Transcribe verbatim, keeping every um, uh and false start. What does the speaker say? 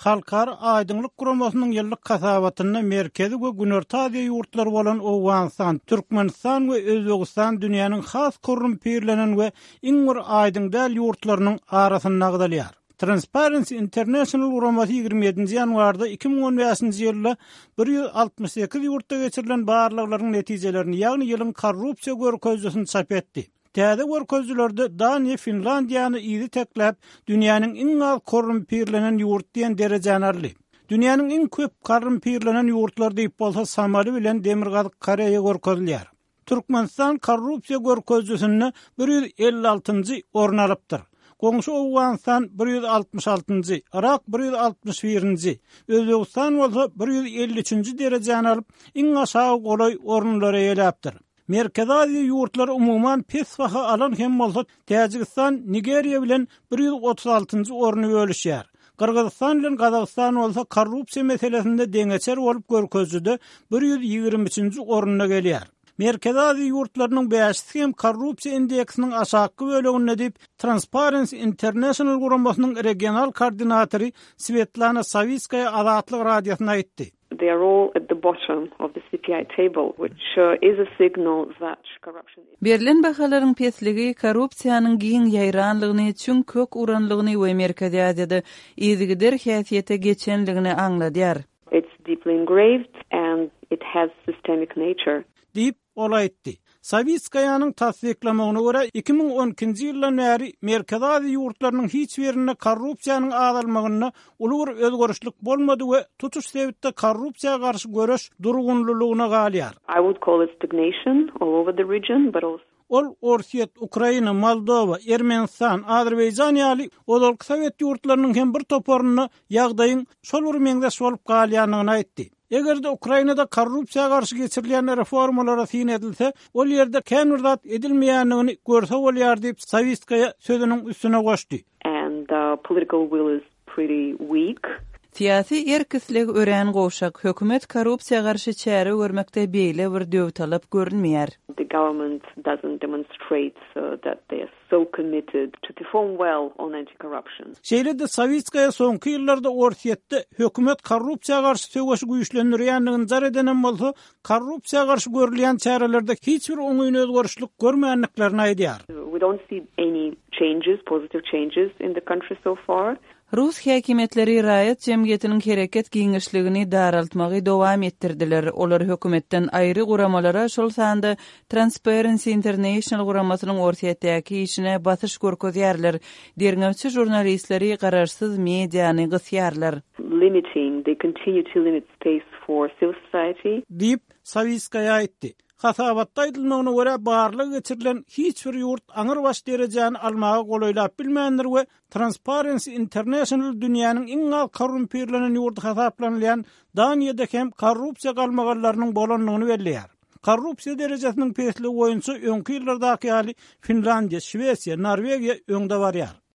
Halkara Aýdyňlyk guramasynyň ýyllyk hasabatynda Merkezi we Günorta Aziýa ýurtlary bolan Owganystan, Türkmenistan we Özbegistan dünýäniň has korrumpirlenen we iň bir aýdyň däl ýurtlarynyň arasynda agzalýar. Transparency International guramasy ýigrimi ýedinji ýanwarda iki müň on bäşinji ýylda bir ýüz altmyş sekiz ýurtda geçirilen barlaglaryň netijelerini, ýagny ýylyň korrupsiýa görkezijisini çap etdi. Täze görkezijilerde Daniýa Finlandiýany yzy tekläp, dünýäniň iň az korrumpirlenen ýurt diýen derejäni aldy. Dünýäniň iň köp korrumpirlenen ýurtlary diýip bolsa Somali bilen Demirgazyk Koreýa görkezilýär. Türkmenistan korrupsiýa görkezijisinde bir ýüz elli altynjy orun alypdyr. Goňşy Owganystan bir ýüz altmyş altynjy, Irak bir ýüz altmyş birinji, Özbegistan bolsa bir ýüz elli üçünji derejäni alyp, iň aşagy golaý orunlary eýeläpdir. Merkezi Aziýa ýurtlary umuman pes baha alan hem bolsa, Täjigistan Nigeriýa bilen bir ýüz otuz altynjy orny bölüşýär. Gyrgyzystan bilen Gazagystan bolsa korrupsiýa meselesinde deňeçer bolup görkezijide bir ýüz ýigrimi üçünji orunda gelýär. Merkezi Aziýa ýurtlarynyň bäşisi hem korrupsiýa indeksiniň aşakky böleginde diýip, Transparency International guramasynyň regional koordinatory Svetlana Sawitskaýa Azatlyk Radiosyna aýtdy. They are all at the bottom of the C P I table, which, uh, is a signal that corruption is Berlen bahalaryň pesligi korrupsiýanyň giň ýaýranlygyny, çüň kök uranlygyny we Merkezi Aziýada yzygider häsiýete geçenligini aňladýar. It's deeply engraved and it has systemic nature. Diýip, ol aýtdy. Sawitskaýanyň tassyklamagyna görä iki müň on ikinji ýyldan bäri Merkezi Aziýa ýurtlarynyň hiç birinde korrupsiýanyň azalmagynda uly bir özgerişlik bolmady we tutuş sebitde korrupsiýa garşy göreş durgunlylygyna galýar. I would call it stagnation all over the region, but also Ol Orsýet, Ukraina, Moldova, Ermenistan, Azerbaýjan ýaly ozalky Sowet ýurtlarynyň hem bir toparynda ýagdaýyň şol bir meňzeş bolup galýandygyny aýtdy. Eger-de Ukrainada korrupsiýa garşy geçirilýän reformalara syn edilse, ol ýerde kän bir zat edilmeýändigini görse bolýar diýip Sawitskaýa sözüniň üstüne goşdy. And the political will is pretty weak. Syýasy erk-isleg örän gowşak, hökümet korrupsiýa garşy çäre görmekde beýle bir döwtalap görünmeýär. The government doesn't demonstrate so that they are so committed to perform well on anti-corruption. Şeýle-de Sawitskaýa soňky ýyllarda Orsýetde hökümet korrupsiýa garşy söweşi güýçlendirýändigini jar edenem bolsa, korrupsiýa garşy görülýän çärelerde hiç bir oňyn özgerişlik görmändiklerini aýdýar. We don't see any changes, positive changes in the country so far. Rus häkimiýetleri raýat jemgyýetiniň hereket giňişligini daraltmagy dowam etdirdiler. Olar hökümetden aýry guramalara, şol sanda Transparency International guramasynyň Orsýetdäki işine basyş görkezýärler. Derňewçi jurnalistleri garaşsyz mediany gysýarlar. Limiting, they continue to limit space for civil society. Diýip, Sawitskaýa aýtdy. Hasabatda aýdylmagyna görä barlyk geçirilen hiç bir ýurt aňyrbaş derejäni almaga golaýlap bilmändir we Transparency International dünýäniň iň az korrumpirlenen ýurdy hasaplanylýan Daniýada hem korrupsiýa galmagallarynyň bolandygyny belleýär. Korrupsiýa derejesiniň pesligi boýunça öňki ýyllardaky ýaly Finlandiýa, Şwesiýa, Norwegiýa öňde barýar.